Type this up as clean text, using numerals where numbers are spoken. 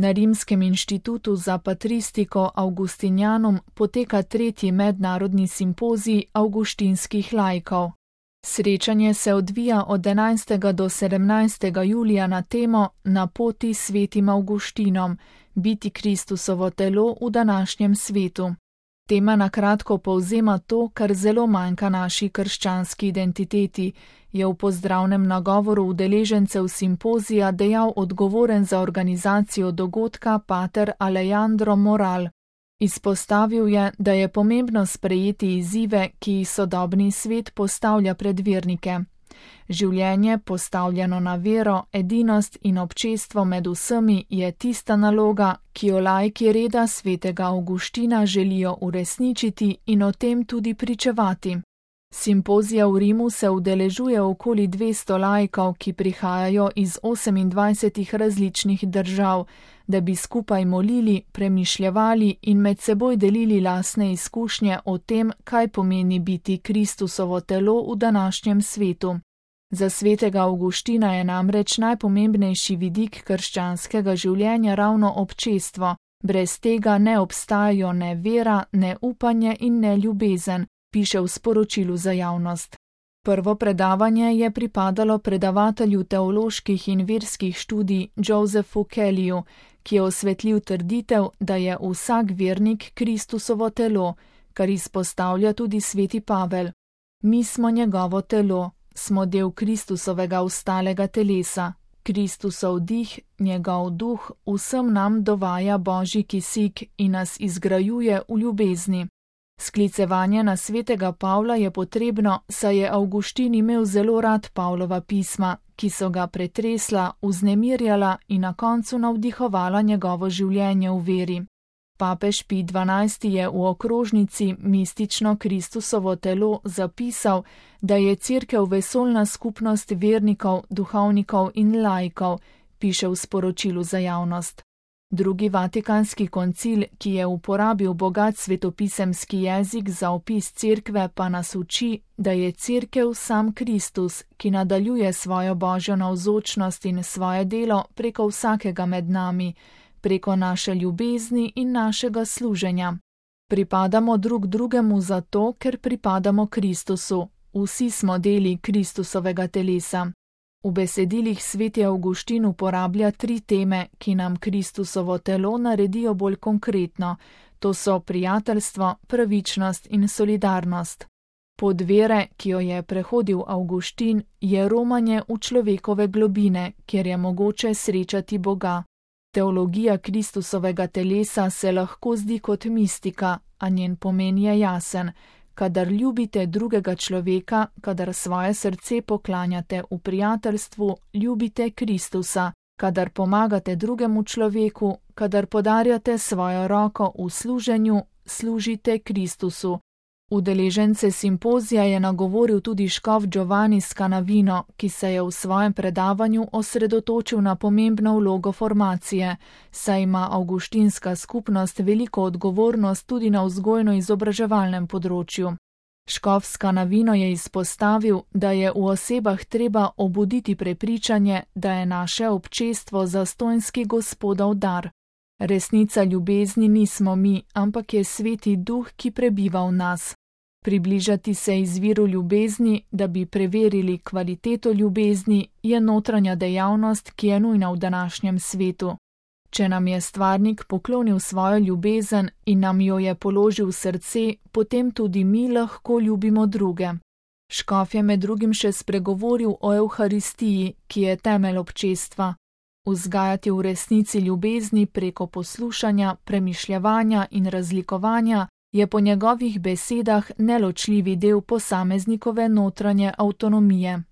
Na Rimskem inštitutu za patristiko Augustinianum poteka 3. mednarodni simpozij avguštinskih laikov. Srečanje se odvija od 11. do 17. julija na temo Na poti svetim Avguštinom, biti Kristusovo telo v današnjem svetu. Tema na kratko povzema to, kar zelo manjka naši krščanski identiteti, je v pozdravnem nagovoru udeležencev simpozija dejal odgovoren za organizacijo dogodka pater Alejandro Moral. Izpostavil je, da je pomembno sprejeti izzive, ki jih sodobni svet postavlja pred vernike. Življenje, postavljeno na vero, edinost in občestvo med vsemi, je tista naloga, ki jo laiki reda svetega Avguština želijo uresničiti in o tem tudi pričevati. Simpozija v Rimu se udeležuje okoli 200 laikov, ki prihajajo iz 28 različnih držav, da bi skupaj molili, premišljevali in med seboj delili lastne izkušnje o tem, kaj pomeni biti Kristusovo telo v današnjem svetu. Za svetega Avguština je namreč najpomembnejši vidik krščanskega življenja ravno občestvo, brez tega ne obstajajo ne vera, ne upanje in ne ljubezen, piše v sporočilu za javnost. Prvo predavanje je pripadalo predavatelju teoloških in verskih študij Josephu Kellyju, ki je osvetlil trditev, da je vsak vernik Kristusovo telo, kar izpostavlja tudi sveti Pavel. Mi smo njegovo telo, smo del Kristusovega ostalega telesa. Kristusov dih, njegov duh, vsem nam dovaja božji kisik in nas izgrajuje v ljubezni. Sklicevanje na svetega Pavla je potrebno, saj je Avguštin imel zelo rad Pavlova pisma, ki so ga pretresla, vznemirjala in na koncu navdihovala njegovo življenje v veri. Papež Pij XII. Je v okrožnici Mistično Kristusovo telo zapisal, da je Cerkev vesoljna skupnost vernikov, duhovnikov in laikov, piše v sporočilu za javnost. Drugi vatikanski koncil, ki je uporabil bogat svetopisemski jezik za opis Cerkve, pa nas uči, da je Cerkev sam Kristus, ki nadaljuje svojo božjo navzočnost in svoje delo preko vsakega med nami, preko naše ljubezni in našega služenja. Pripadamo drug drugemu zato, ker pripadamo Kristusu. Vsi smo deli Kristusovega telesa. V besedilih sveti Avguštin uporablja 3 teme, ki nam Kristusovo telo naredijo bolj konkretno. To so prijateljstvo, pravičnost in solidarnost. Pot vere, ki jo je prehodil Avguštin, je romanje v človekove globine, kjer je mogoče srečati Boga. Teologija Kristusovega telesa se lahko zdi kot mistika, a njen pomen je jasen. Kadar ljubite drugega človeka, kadar svoje srce poklanjate v prijateljstvu, ljubite Kristusa, kadar pomagate drugemu človeku, kadar podarjate svojo roko v služenju, služite Kristusu. Udeležence simpozija je nagovoril tudi škof Giovanni Scanavino, ki se je v svojem predavanju osredotočil na pomembno vlogo formacije, saj ima avguštinska skupnost veliko odgovornost tudi na vzgojno-izobraževalnem področju. Škof Scanavino je izpostavil, da je v osebah treba obuditi prepričanje, da je naše občestvo zastonjski Gospodov dar. Resnica ljubezni nismo mi, ampak je sveti duh, ki prebiva v nas. Približati se izviru ljubezni, da bi preverili kvaliteto ljubezni, je notranja dejavnost, ki je nujna v današnjem svetu. Če nam je stvarnik poklonil svojo ljubezen in nam jo je položil v srce, potem tudi mi lahko ljubimo druge. Škof je med drugim še spregovoril o Evharistiji, ki je temelj občestva. Vzgajati v resnici ljubezni preko poslušanja, premišljevanja in razlikovanja je po njegovih besedah neločljivi del posameznikove notranje avtonomije.